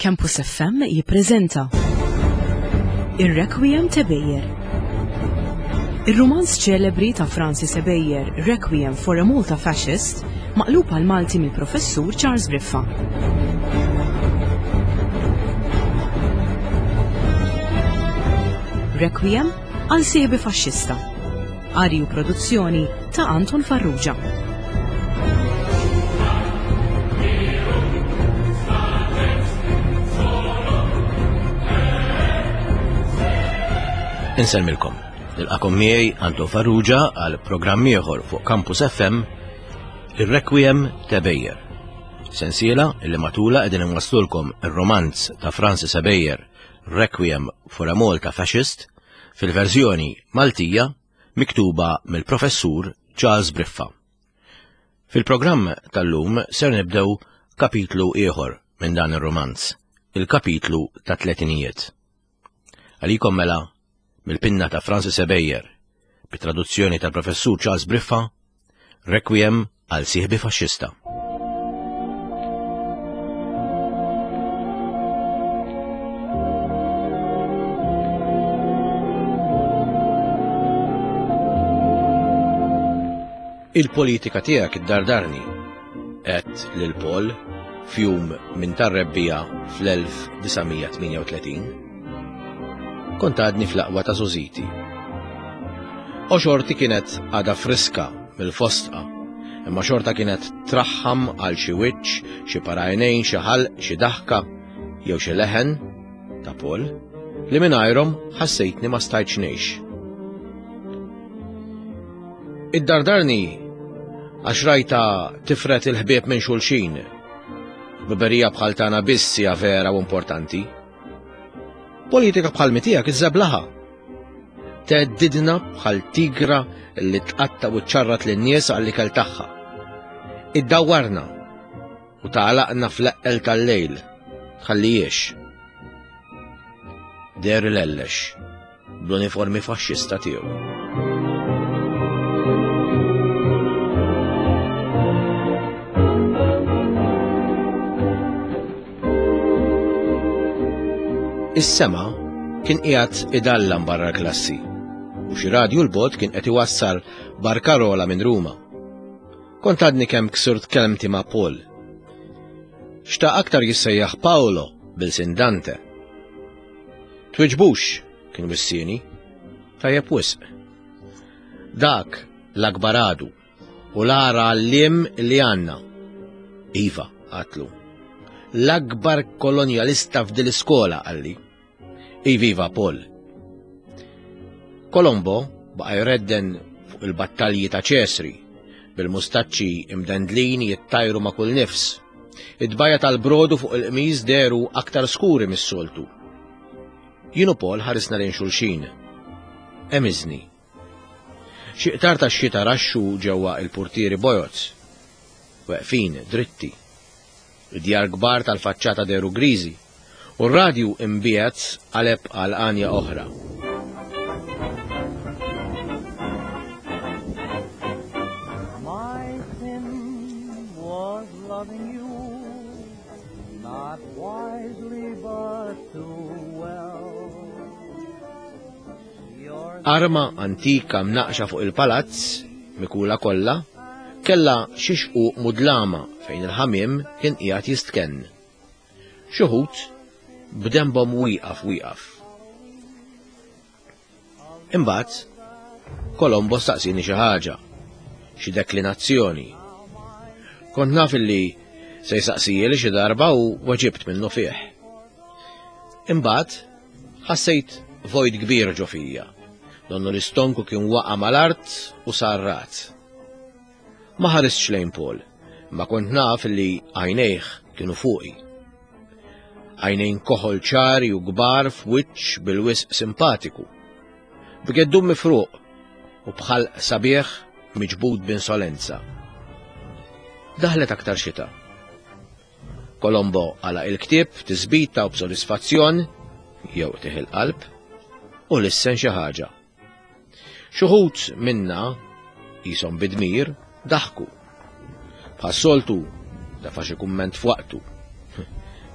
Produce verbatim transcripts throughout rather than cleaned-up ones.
Campus F M jippreżenta Ir-Requiem t'Ebejer. Ir-rumanz ċelebri ta' Francis Ebejer, Requiem for a Malta Fascist, maqlub għal Malti mill-Professur Charles Briffa. Requiem għal sieħbi faxxista. Qari u produzzjoni ta' Anton Farrugia. Insellmilkom. Nilqakom miegħi Anton Farrugia għal programm ieħor fuq Campus F M, ir-Requiem t'Ebejer. Sensiela illi matula qegħdin inwasslulkom ir-romanz ta' Francis Ebejer, Requiem for a Malta Fascist, fil-verżjoni Maltija miktuba mill-Professur Charles Briffa. Fil-programm tal-lum ser nibdew kapitlu ieħor minn dan ir-romanz, il-kapitlu ta' tletinijiet. Għalikom mela mill-pinna ta' Francis Ebejer, bit-traduzzjoni tal-Professur Charles Briffa, Requiem għal sieħbi faxxista. Il-politika tiegħek iddardarni, għedt lil Paul f'jum minn tar-rebbiegħa fl-elf disa' mija tmienja u tletin. Kont għadni fl-aqwa ta' żgħożiti. U xorti kienet għada friska mill-fosdqa, imma xorta kienet traħħam għal xi wiċċ, xi par għajnejn, xi ħalq, xi daħka, jew xi leħen ta' Paul li mingħajrhom ħassejtni ma stajtx ngħix. Iddardarni għax rajta tifret il-ħbieb minn xulxin. Ħbiberija bħal tagħna biss hija vera u importanti. Politika bħal tiegħek iżżeblaha. Theddidna bħal tigra li tqatta' u ċċarrat lin-nies għall-ikel tagħha. Iddawwarna u tagħlaqna fl-eqqel tal-lejl. Tħallijiex. Deher ilellex bl-uniformi faxxista tiegħu. Is-sema kien qiegħed idallam barra l-klassi u xi radju 'l bogħod kien qed iwassal barkarola minn Ruma. Kont għadni kemm ksirt kelmti ma' Paul. Xtaq aktar jissejjaħ Paolo b'ilsien Dante. Twiġbux, kien wissieni, tajjeb wisq. Dak l-akbar għadu u l-agħar għalliem li għandna. Iva, għedtlu. L-akbar kolonjalista f'dil-iskola, qalli. Iviva, Paul. Colombo baqa jredden fuq il-battalji ta' Ċesri, bil-mustaċċi imdendlin jittajru ma' kull nifs. Id-tbajja' tal-brodu fuq il-qmis dehru aktar skuri mis-soltu. Jien u Paul ħarisna lejn xulxin. Emiżni. Xi qtar ta' xita raxxu ġewwa il-purtieri bojod. Weqfin, dritti. Id-djar kbar tal-faċċata dehru griżi u r-radju imbiegħed qaleb għal għanja oħra. My sin was loving you, not wisely but too well. Your Arma antika mnaqxa fuq il-palazz, mikula kollha, kella xi xquq mudlama fejn il-ħamiem kien qiegħed jistkenn. Xi wħud b'dembhom wieqaf wieqaf. Imbagħad Colombo staqsini xi ħaġa, xi deklinazzjoni. Kont naf illi se jsaqsijeli xi darba u weġibt minnufih. Imbagħad ħassejt vojt kbir ġo fija. Donnu l-istonku kien waqa' mal-art u sarrat. Ma ħaristx lejn Paul, ma kont naf li għajnejh kienu fuqi. Għajnejn koħol ċari u kbar f'wiċċ bil-wisq simpatiku. B'geddum mifruq u b'ħalq sabiħ miġbud b'insolenza. Daħlet aktar xita. Colombo għalaq il-ktieb b'tisbita u b'sodisfazzjon, jew qtigħ il-qalb, u lissen xi ħaġa. Xi wħud minna qishom bidmir daħku. Bħas-soltu tefa' xi kumment f'waqtu.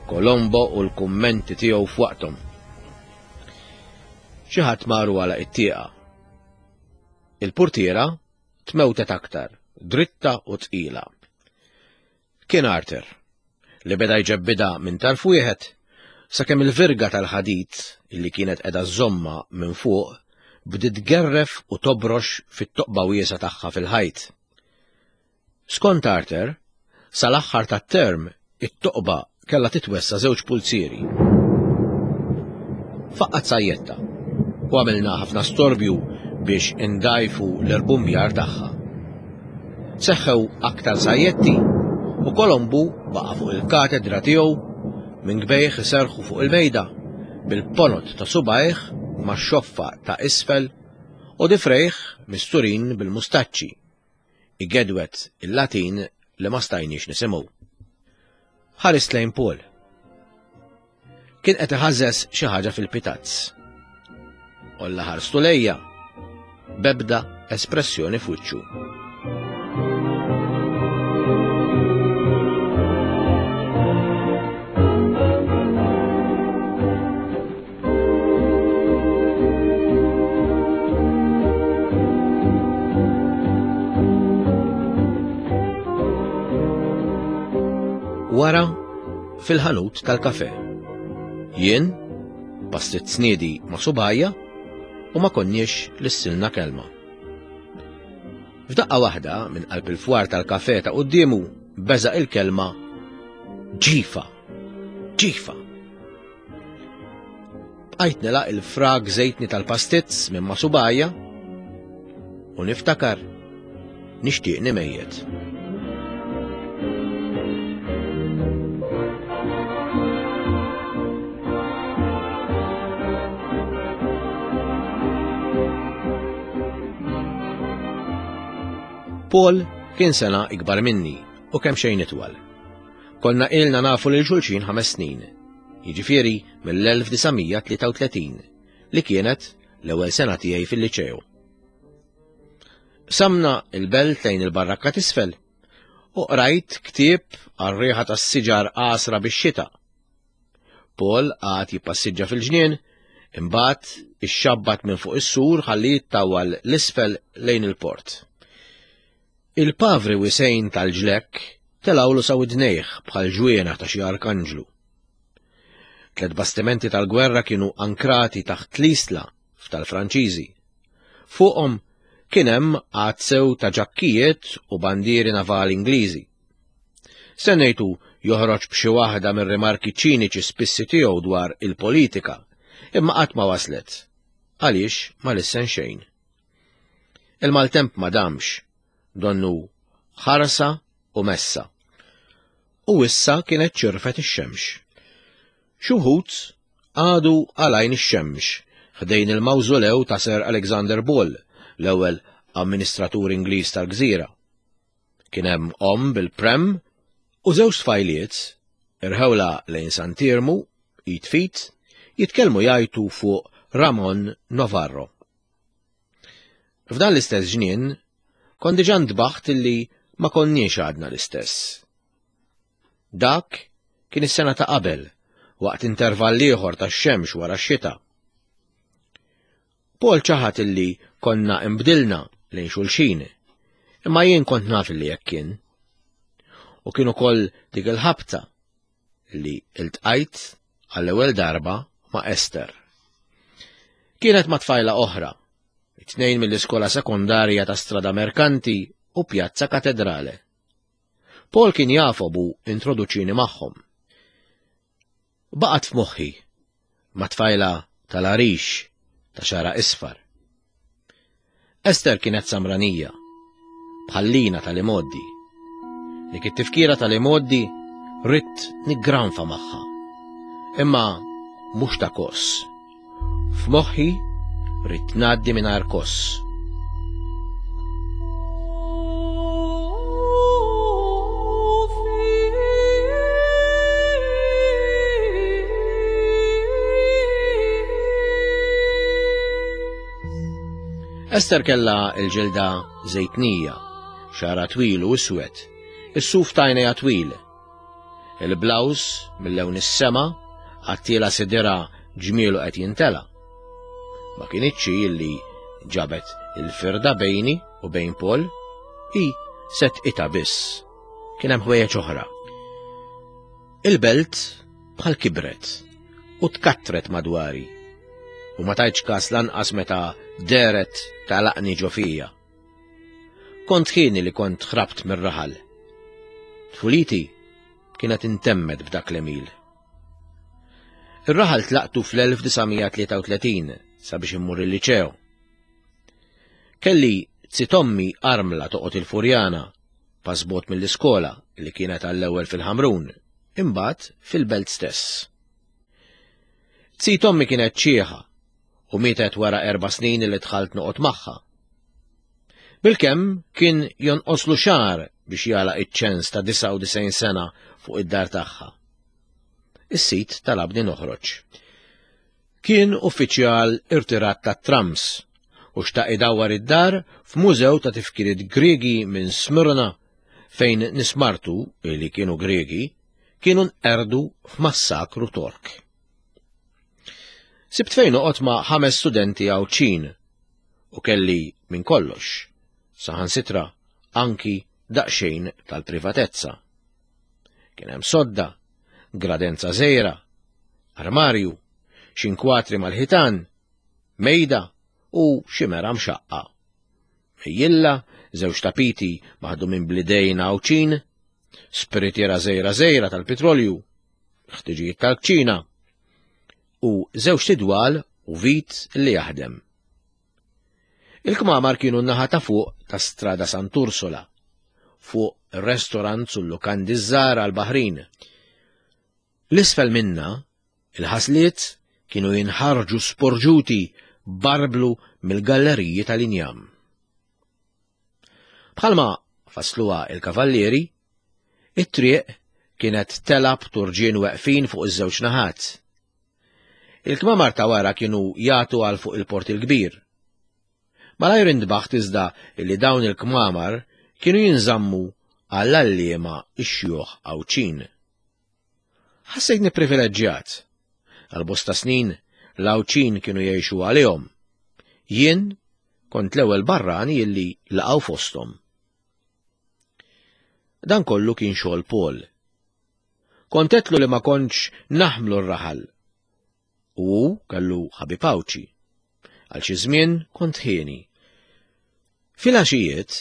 Colombo u l-kummenti tiegħu f'waqthom. Xi ħadd maru għala it-tieqa. Il-portiera tmewtet aktar, dritta u tqila. Kien Arthur, li beda jġebbida minn tarf wieħed, sakemm il-virga tal-ħadid illi kienet qiegħda żomma minn fuq bdiet tgerref u tobrox fit-toqba wiesgħa tagħha fil-ħajt. Skont Arthur, sal-aħħar tat-term it-toqba kellha titwessa żewġ pulzieri. Faqqat sajjetta u għamilna ħafna storbju biex indajfu l-irbumbjar tagħha. Seħħew aktar sajjetti u Kolombu baqa' fuq il-katedra tiegħu minn gbejħ iserħu fuq il-mejda bil-ponot ta' subajh ma' xoffa ta' isfel u difrejh misturin bil-mustaċċi. Igedwet il-Latin li ma stajniex nisimgħu. Ħarist lejn Paul. Kien qed iħażżeż xi ħaġa fil-pitazz. Olla ħarstu lejja bebda espressjoni f'wiċċu. Wara fil-ħanut tal-kafe. Jien pastit sniedi ma' subajja u ma konniex lissilna kelma. F'daqqa waħda minn qalb il-fwar tal-kafe ta' quddiemu beżaq il-kelma ġifa, ġifa. Bqajt nilaq il-frag żejtni tal-pastizz minn ma' subajja u niftakar nixtieqni mejjet. Paul kien sena ikbar minni u kemm xejn itwal. Konna ilna nafu lil xulxin ħames snin, jiġifieri mill-elf disa' mija tlieta u tletin, li kienet l-ewwel sena tiegħi fil-liċew. Samna il-belt lejn il-barrakka t'isfel u qrajt ktieb għar-riħa tas-siġar qasra bix-xita. Paul qagħad jippassiġġa fil-ġnien, imbagħad ixxabbat minn fuq is-sur ħalli jittawwal l-isfel lejn il-port. Il-pavri wisejn tal-ġlekk telawlu sa widnejh bħal ġwienaħ ta' xi arkanġlu. Tliet bastimenti tal-gwerra kienu ankrati taħt l-isla f'tal-Franċiżi. Fuqhom kien hemm għadd sew ta' ġakkijiet u bandieri navali Ingliżi. Stennejtu joħroġ b'xi waħda mir-rimarki ċiniċi spissi tiegħu dwar il-politika, imma qatt ma waslet, għaliex ma lissen xejn. Il-maltemp ma damx, donnu ħarsa u messa. U issa kienet ċirfet ix-xemx. Xi wħud għadu għalajn ix-xemx ħdejn il-mawżolew ta' Sir Alexander Ball, l-ewwel amministratur Ingliż tal-gżira. Kien hemm omm bil-prem u żewġ tfajliet irħewla lejn Sant'Iermu, id fit, jitkellmu jgħajtu fuq Ramon Novarro. F'dan l-istess ġnien kont diġà ntbaħt illi ma konniex għadna l-istess. Dak kien is-sena ta' qabel, waqt intervall ieħor tax-xemx wara x-xita. Paul ċaħat illi konna imbdilna lejn xulxin, imma jien kont naf illi hekk kien. U kien ukoll dik il-ħabta li iltqajt għall-ewwel darba ma' Esther. Kienet ma' tfajla oħra, it-tnejn mill-iskola sekondarja ta' Strada Merkanti u Pjazza Katedrale. Paul kien jafob u introduċini magħhom. Baqgħet f'moħħi ma' tfajla tal-għarix ta' xara isfar. Esther kienet samranija, bħallina tal-imoddi. Dik it-tifkira tal-imoddi ridt niggranfa magħha. Imma mhux ta' koss. F'moħħi ridt ngħaddi mingħajr koss. Esther kellha l-ġilda żejtnija, xara twil u iswed, is-suf tajnejha twil. Il-blaws mill-lewn is-sema għattiela sidira ġmielu qed jintela. Ma kinitx hi li ġabet il-firda bejni u bejn Paul, hi set ita biss. Kien hemm ħwejjeġ oħra. Il-belt bħal kibret u tkattret madwari u ma tajtx kas lanqas meta deret talaqni ġo fija. Kont ħini li kont ħrabt mir-raħal. Tfuliti kienet intemmet b'dak l-emil. Ir-raħal tlaqtu fl-elf disa' mija tlieta u tletin sabiex immur il-liċeo. Kelli zitommi armla toqgħod il-Furjana, pasbot mill-iskola li kienet għall-ewwel fil-Ħamrun, imbagħad fil-belt stess. Zitommi kienet ċieħa u mietet wara erba' snin li dħalt noqgħod magħha. Bilkemm kien jonqoslu xahar biex jagħlaq iċ-ċens ta' disgħa u disgħin sena fuq id-dar tagħha. Is-sit talabni noħroġ. Kien uffiċjal irtirat tat-trams u xtaq idawwar id-dar f'mużew ta' tifkiriet Griegi minn Smyrna fejn nismartu li kienu Griegi kienu nqerdu f'massakru Tork. Sibt fejn noqgħod ma' ħames studenti Għawdxin u kelli minn kollox, saħansitra anki daqsxejn tal-privatezza. Kien hemm sodda, gradenza żgħira, armarju, xi nkwatri mal-ħitan, mejda u xi mera mxaqqa. Mejjilla, żewġ tapiti maħdumin blidejn Għawdxin, spiritiera żgħira żgħira tal-petrolju, ħtiġijiet tal-kċina, u żewġ tidwal u vit li jaħdem. Il-kmamar kienu n-naħa ta' fuq ta' Strada Sant'Ursula, fuq ir-restorant sul lukandi żgħar għall-Baħrin. L-isfel minna, il-ħasliet kienu jinħarġu sporġuti barblu mill-galleriji tal-injam. Bħalma fasluha il-kavallieri, it-triq kienet telab turġien weqfin fuq iż-żewġ naħat. Il-kmamar ta' wara kienu jagħtu għal fuq il-port il-kbir. Malajr indbaħt iżda li dawn il-kmamar kienu jinżammu għall-għalliema ix-xjuħ Għawdxin. Ħassejtni privileġġjat. Għal bosta snin l-Għawdxin kienu jgħixu għalihom. Jien kont l-ewwel barrani illi laqgħu fosthom. Dan kollu kien xogħol Paul. Kont għedtlu li ma kontx naħmlu r-raħal. U hu kellu ħabib Għawdxi. Għal xi żmien kont ħieni. Filgħaxijiet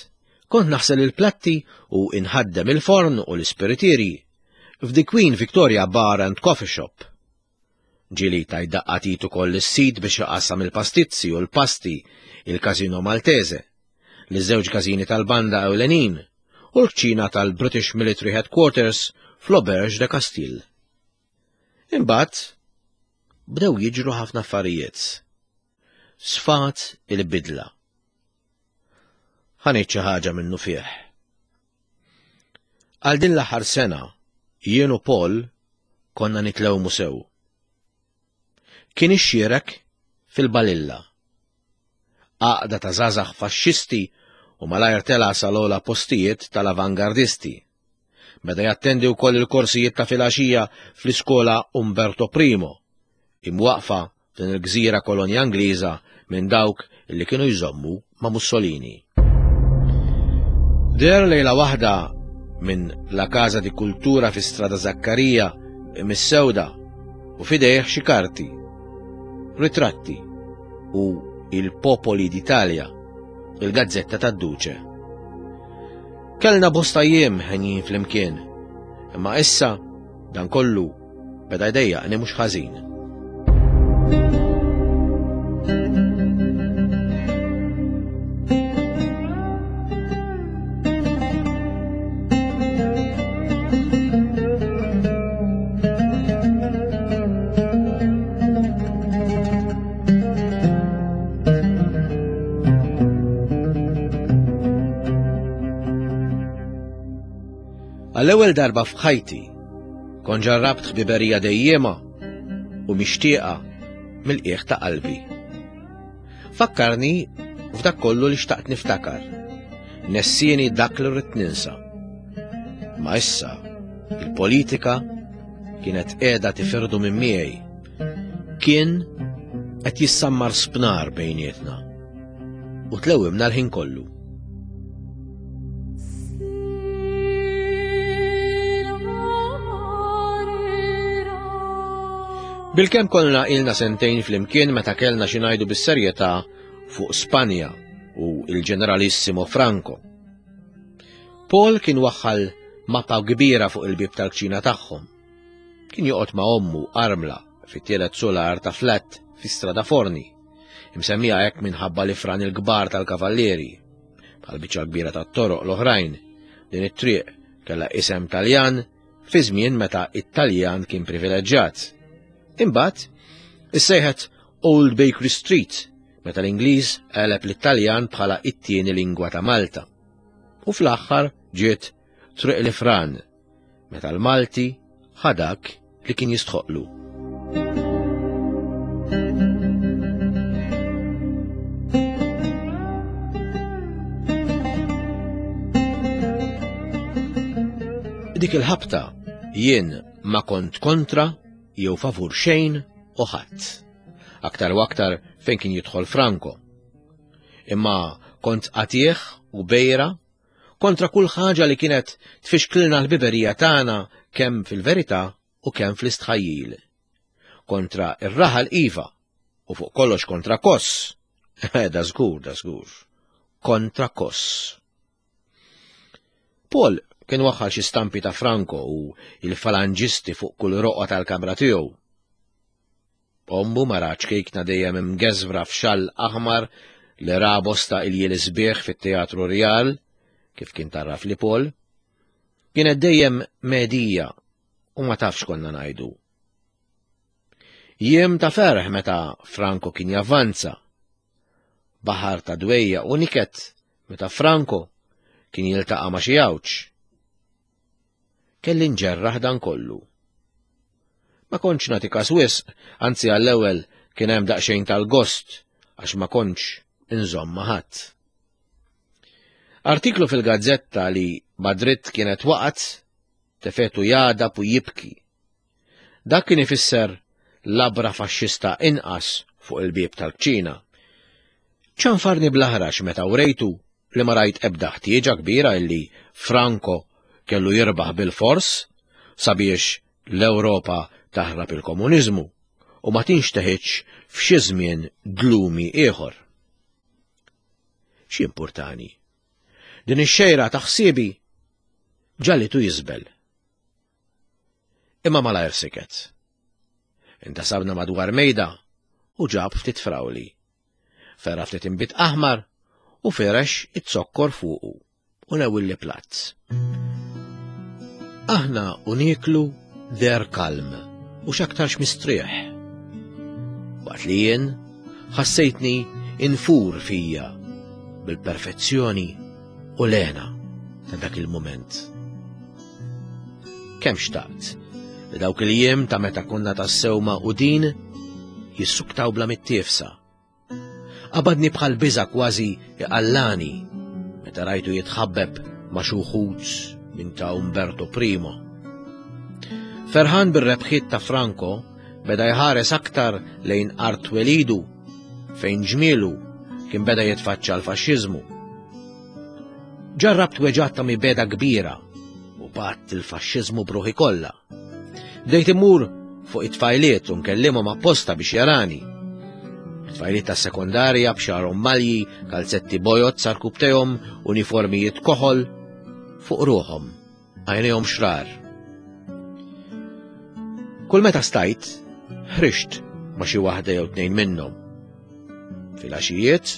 kont naħsel il-platti u inħaddem il-forn u l-ispiritieri f'The Queen Victoria Bar and Coffee Shop. Ġieli tajt daqqatit ukoll is-sid biex iqassam il-pastizzi u l-pasti il-Casino Maltese, li żewġ każini tal-banda ewlenin u l-kċina tal-British Military Headquarters fl-Auberge de Castille. Imbagħad bdew jiġru ħafna affarijiet. Sfat il-bidla. Ħa ngħid xi ħaġa minnu fih. Għal din l-aħħar sena, jien u Paul konna nitlewmu sew. Kien ixxierek fil-Balilla. Għaqda ta' żgħażagħ faxxisti u malajr tela' sal-ogħla postijiet tal-avangardisti. Beda jattendi wkoll il-korsijiet ta' filgħaxija fl-iskola Umberto Primo, imwaqfa f'din il-gżira kolonja Ingliża minn dawk li kienu jżommu ma' Mussolini. Der lejla waħda minn La Casa di Cultura fi Strada Zaccaria mis-sewda u fidejh xi karti, ritratti u il Popoli d'Italia, il-gazzetta tad-Duce. Kellna bosta jiem ħenjin flimkien, imma issa dan kollu beda jdejjaqni mhux ħażin. Għall-ewwel darba f'ħajti kont ġarrabt ħbiberija dejjema u mixtieqa mill-qiegħ ta' qalbi. Fakkarni f'dak kollu li xtaqt niftakar, nessieni dak li rrid ninsa. Ma issa Il-politika kienet qiegħda tifirdu minn miegħi. Kien qed jissammar spnar bejnietna. U tlewimna l-ħin kollu. Bilkemm konna ilna sentejn flimkien meta kellna xi ngħidu bis-serjetà fuq Spanja u il-Ġeneralissimo Franco. Paul kien waħħal mappa kbira fuq il-bieb tal-kċina tagħhom. Kien joqgħod ma' ommu armla fit-tielet solar ta' flat fi Strada Forni, imsemmija hekk minħabba l-ifran il-kbar tal-kavallieri. Bħal biċċa kbira tat-toroq l-oħrajn, din it-triq kellha isem Taljan fi żmien meta it-Taljan kien privileġġjat. Imbagħad issejħet Old Bakery Street meta l-Ingliż qeleb l-Italjan bħala it-tieni lingwa ta' Malta. U fl-aħħar ġiet Triq l-Ifran meta l-Malti ħadak li kien jistħoqlu. Dik il-ħabta jien ma kont kontra jew favur xejn u ħadd. Aktar u aktar fejn kien jidħol Franco. Imma kont qatih u bejra kontra kull ħaġa li kienet tfixklilna l-biberija tagħna kemm fil-verità u kemm fl-istħajjil. Kontra ir-raħal iva u fuq kollox kontra Koss. Da żgur, da żgur. Kontra Koss. Paul kien waħħal xi stampi ta' Franco u il-falanġisti fuq kull roqgħa tal-kamra tiegħu. Ommu mara ċkejkna dejjem imgeżwra f'xall aħmar li ra bosta iljiel sbieħ fit-Teatru Rjal, kif kien tarraf li Paul, kienet dejjem medija u ma tafx konna ngħidu. Jiem ta' ferħ meta Franco kien javvanza. Baħar ta' dwejja u niket meta Franco kien jiltaqa' ma' xi għawġ. Kelli nġerraħ dan kollu. Ma kontx nagħti każ wisq, anzi għall-ewwel kien hemm daqsxejn tal-gost għax ma kontx inżomm ma' ħadd. Artiklu fil-gazzetta li Madrid kienet waqgħet tefetu jadab u jibki. Dak kien ifisser labra faxxista inqas fuq il-bieb tal-kċina. Ċanfarni bl-aħrax meta wrejtu li ma rajt ebda ħtieġa kbira illi Franco kellu jirbaħ bil-fors sabiex l-Ewropa taħrab il-komuniżmu u ma tinxteħitx f'xi żmien glumi ieħor. X'importani? Din ix-xejra ta' ħsiebi ġallitu jiżbel. Imma malajr siket. Intasabna madwar mejda u ġab ftit frawli. Ferra ftit inbit aħmar u ferex it-zokkor fuqu u newilli platt. Aħna u nieklu der kalm u x'aktarx mistrieħ. Waqt li jien ħassejtni infur fija bil-perfezzjoni u l-hena ta' dak il-mument. Kemm xtaqt li dawk il-jiem ta' meta konna tassew magħqudin jissuktaw bla mittiefsa. Qabadni bħal biża' kważi iqallani meta rajtu jitħabbeb ma' xi wħud minn ta' Umberto Primo. Ferħan bir-rebħiet ta' Franco beda jħares aktar lejn art twelidu fejn ġmielu kien beda jitfaċċa l-faxxiżmu. Ġarrabt weġgħat ta' mibeda kbira u bat il-faxxiżmu bruħi kollha. Bdejt immur fuq it-tfajliet u nkellimhom apposta biex jarani. Tfajliet tas-sekondarja b'xagħarhom malji, kalzetti bojod sarkubtejhom, uniformijiet koħol fuq ruħhom, għajnejhom xrar. Kull meta stajt, ħrixt ma' xi waħda jew tnejn minnhom. Fil-għaxijiet,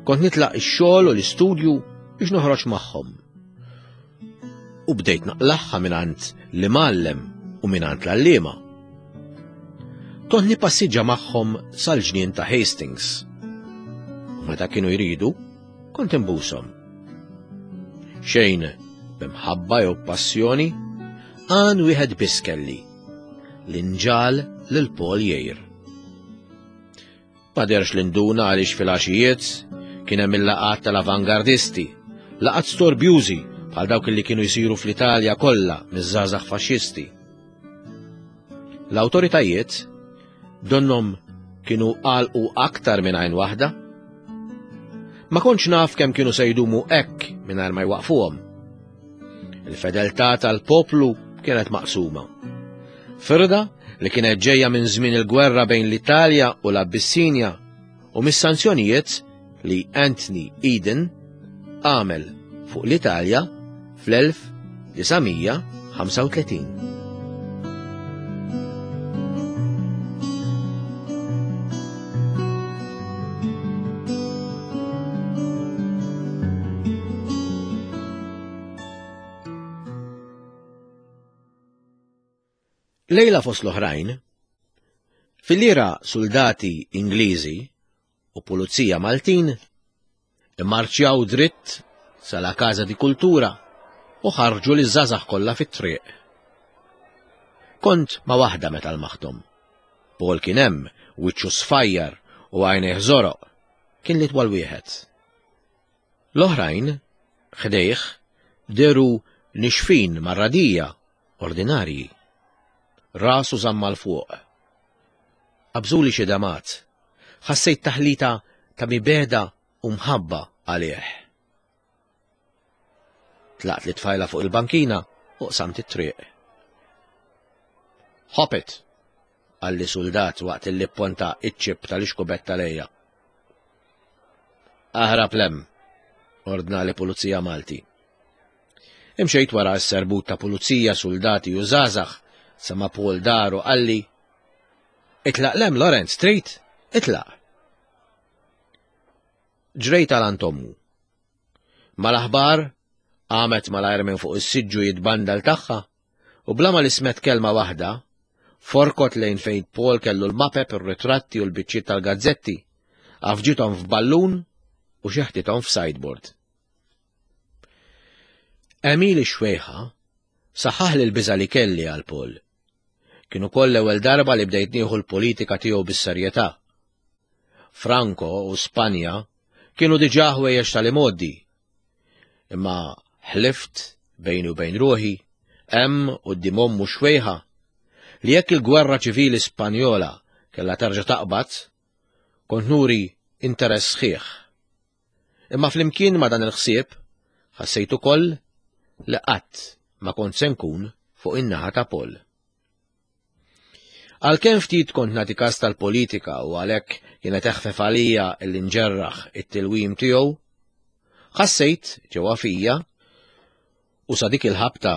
kont nitlaq ix-xogħol u l-istudju biex noħroġ magħhom. U bdejt naqlaħħa mingħand l-imgħallem u mingħand l-għalliema. Kont nippassiġġa magħhom sal-ġnien ta' Hastings. U meta kienu jridu, kont imbushom. Xejn b'imħabba jew passjoni, għan wieħed biss kelli, l-inġal lil Paul jgħir. Ma derx l-induna għaliex fil-għaxijiet kien hemm il-laqgħat tal-avangardisti, laqgħat storbjużi bħal dawk li kienu jsiru fl-Italja kollha miż-żgħażagħ faxxisti. L-awtoritajiet donnhom kienu għalqu aktar minn għajn waħda. Ma kontx naf kemm kienu se jdumu hekk mingħajr ma jwaqfuhom. Il-fedeltà tal-poplu kienet maqsuma. Firda li kienet ġejja minn żmien il-gwerra bejn l-Italja u l-Abissinja u mis-sanzjonijiet li Anthony Eden għamel fuq l-Italja fl-elf disa' mija ħamsa u tletin. Lejla fost l-oħrajn, fil-lira soldati Ingliżi u pulizija Maltin immarċjaw dritt sala Casa di Kultura u ħarġu li żgħażagħ kollha fit-triq. Kont ma' waħda meta l-maħtom. Paul kien hemm, wiċċu sfajjar u għajnejh żoroq, kien li twal wieħed. L-oħrajn, ħdejh, deru nixfin marradija ordinarji. Rasu żamma l fuq. Qabżuli xi damat. Ħassejt taħlita ta' mibeda u mħabba għalih. Tlaqt li tfajla fuq il-bankina u qsamt it-triq. Hop it! Qalli soldat waqt li pponta iċ-ċip tal-ixkubetta lejja. Aħrab lem, ordna li pulizija Malti. Imxejt wara s-serbut ta' pulizija, soldati u żgħażagħ sa ma Paul daru qalli, Itlaq lem, Lorenz, trid? Itlaq. Ġrejt għal għand ommu. Mal-aħbar, qamet malajr minn fuq is-siġġu jitbandal tagħha u bla ma lismet kelma waħda, forkot lejn fejn Paul kellu l-mapep, ir-ritratti u l-biċċiet tal-gazzetti, għafġithom f'ballun u xeħtithom f'sideboard. Emil ix-xwejħa saħaħ li l-biża' li kelli għal Paul. Kienu koll l-ewwel darba li bdejt nieħu l-politika tiegħu bis-serjetà. Franco u Spanja kienu diġà ħwejjeġ tal-imgħoddi. Imma ħlift bejni u bejn ruħi, hemm quddiem ommu xwejħa, li jekk il-gwerra ċivili Spanjola kellha terġa' taqbad, kont nuri interess sħiħ. Imma flimkien ma' dan il-ħsieb, ħassejt ukoll li qatt ma kont se nkun fuq in-naħa ta' Paul. Għalkemm ftit kont nagħti kas tal-politika u għalhekk kienet eħfef għalija li nġerraħ it-tilwim tiegħu, ħassejt ġewwa fija u sa dik il-ħabta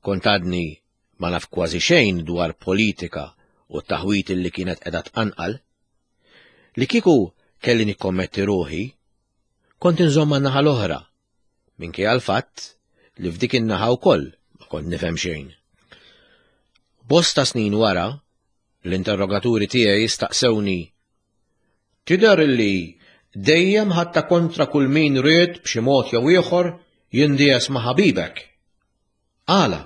kont għadni ma naf kważi xejn dwar politika u t-taħwit li kienet qiegħda tqanqal, li kieku kelli nikkommetti ruħi, kont inżomm man-naħa l-oħra, minkejja l-fatt li f'dik in-naħa wkoll ma kont nifhem xejn. Bosta snin wara, l-interrogaturi tiegħi staqsewni, Tidher li dejjem ħatta kontra kull min ried b'xi mod jew ieħor jindies ma' ħabibek. Għala?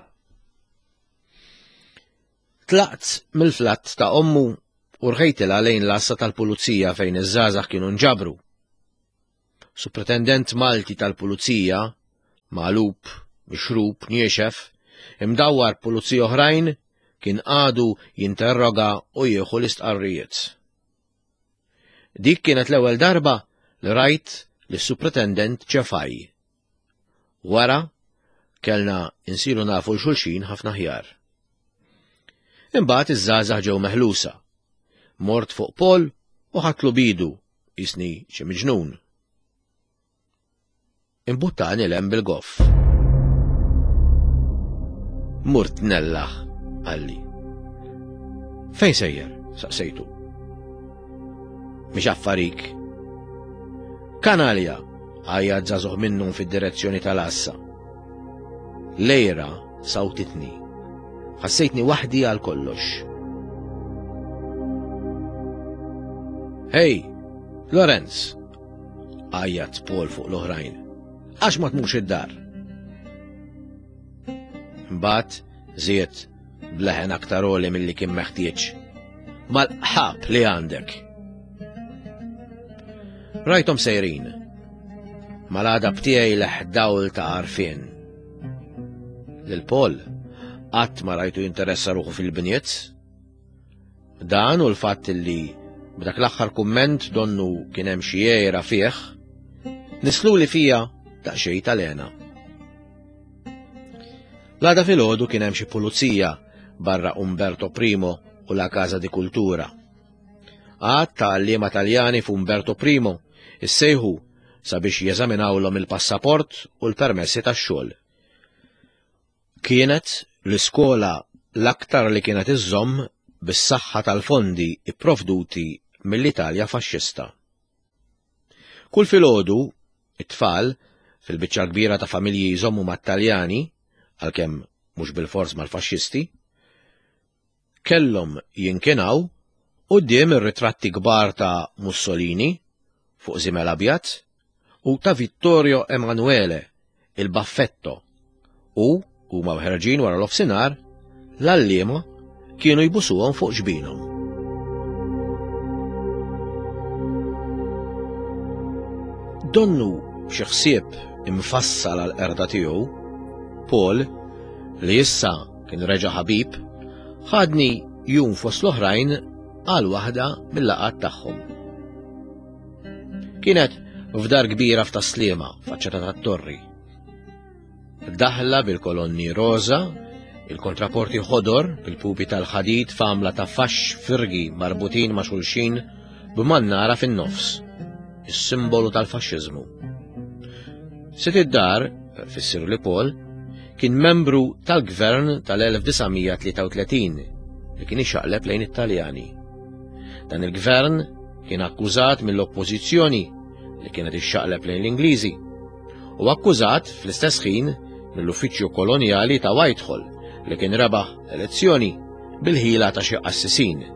Tlaqt mill-flatt ta' ommu u rħejtilha lejn l-għassa tal-pulizija fejn iż-żgħażagħ kienu nġabru. Supretendent Malti tal-pulizija, magħlub, mixrub, niexef, imdawwar pulizija oħrajn, kien għadu jinterroga u jieħu l-istqarrijiet. Dik kienet l-ewwel darba li rajt lis-supretendent Ċefaj. Wara kellna insiru nafu l-xulxin ħafna ħjar. Imbagħad iż-żgħażagħ ġew meħlusa. Mort fuq Paul u ħadtlu bidu jisni xi miġnun. Imbuttani l-hemm bil-goff. Murt nellaħ, qalli. Fejn sejjer? Saqsejtu. Mhix affarik. Kanalja, għajjat żagħżugħ minnhom fid-direzzjoni tal-għassa. Lejra sawtitni. Ħassejtni waħdi għal kollox. Hej, Lorenz, għajjat Paul fuq l-oħrajn. Għax ma tmurx id-dar? Mbagħad żied bleħen aktar għoli milli kien meħtieġ. Mal-ħab li għandek. Rajthom sejrin. Mal-għadab tiegħi leħ dawl ta' għarfien. Lil Paul qatt ma rajtu jinteressa ruħu fil-bniet. Dan u l-fatt li b'dak l-aħħar kumment donnu kien hemm xi għira fih, nisluli fija daqsxejn tal-hena. L-għada filgħodu kien hemm xi pulizija barra Umberto Primo u la Casa di Cultura. Għadd ta' għalliema Taljani f'Umberto Primo issejħu sabiex jeżaminawlhom il-passaport u l-permessi tax-xogħol. Kienet l-iskola l-aktar li kienet iżżomm bis-saħħa tal-fondi ipprovduti mill-Italja faxxista. Kull filgħodu, it-tfal, fil-biċċa kbira ta' familji jżommu mat-Taljani, għalkemm mhux bilfors mal-faxxisti, kellhom jinkinaw quddiem ir-ritratti kbar ta' Mussolini fuq żiemel abjad u ta' Vittorio Emanuele, il-Baffetto, u huma ħerġin wara l-ofsinhar, l-għalliema kienu jbusuhom fuq ġbinhom. Donnu b'xi ħsieb imfassal għall-qerda tiegħu, Paul, li issa kien reġa' ħabib, ħadni jum fost l-oħrajn għal waħda mill-laqgħat tagħhom. Kienet f'dar kbira f'Tas-Sliema, faċċata tat-torri. Daħla bil-kolonni roża, il-kontraporti ħodor bil-pupi tal-ħadid f'għamla ta' faxx firgi marbutin ma' xulxin b'mannara fin-nofs, is-simbolu tal-faxxiżmu. Sid id-dar, fissirli Paul, kien membru tal-gvern tal-elf disa' mija tlieta u tletin li kien ixaqleb lejn it-Taljani. Dan il-gvern kien akkużat mill-oppożizzjoni li kienet ixxaqleb lejn l-Ingliżi u akkużat fl-istess ħin mill-uffiċċju kolonjali ta' Whitehall li kien rebaħ elezzjoni bil-ħila ta' xi qassisin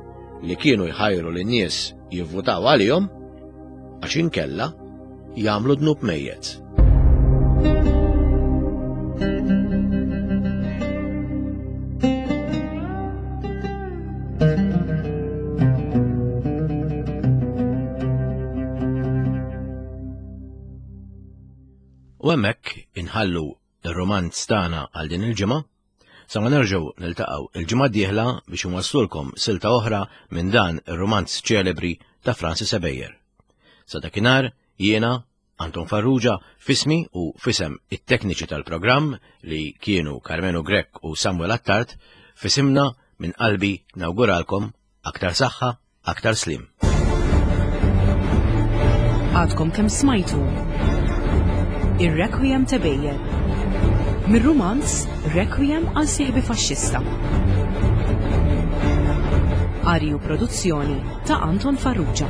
li kienu jħajru lin-nies jivvutaw għalihom għax inkella jagħmlu dnub mejjet. U hemmhekk inħallu ir-romanz tagħna għal din il-ġimgħa, sa ma nerġgħu niltaqgħu il-ġimgħa d-dieħla biex inwasslulkom silta oħra minn dan ir-romanz ċelebri ta' Francis Ebejer. Sa dakinhar jiena Anton Farrugia fismi u fisem it-tekniċi tal-programm li kienu Karmenu Grech u Samuel Attard, fisimna minn qalbi nawguralkom aktar saħħa, aktar slim. Għadkom kemm smajtu Ir-Requiem t'Ebejer mir-rumanz Requiem għal sieħbi faxxista. Qari u produzzjoni ta' Anton Farrugia.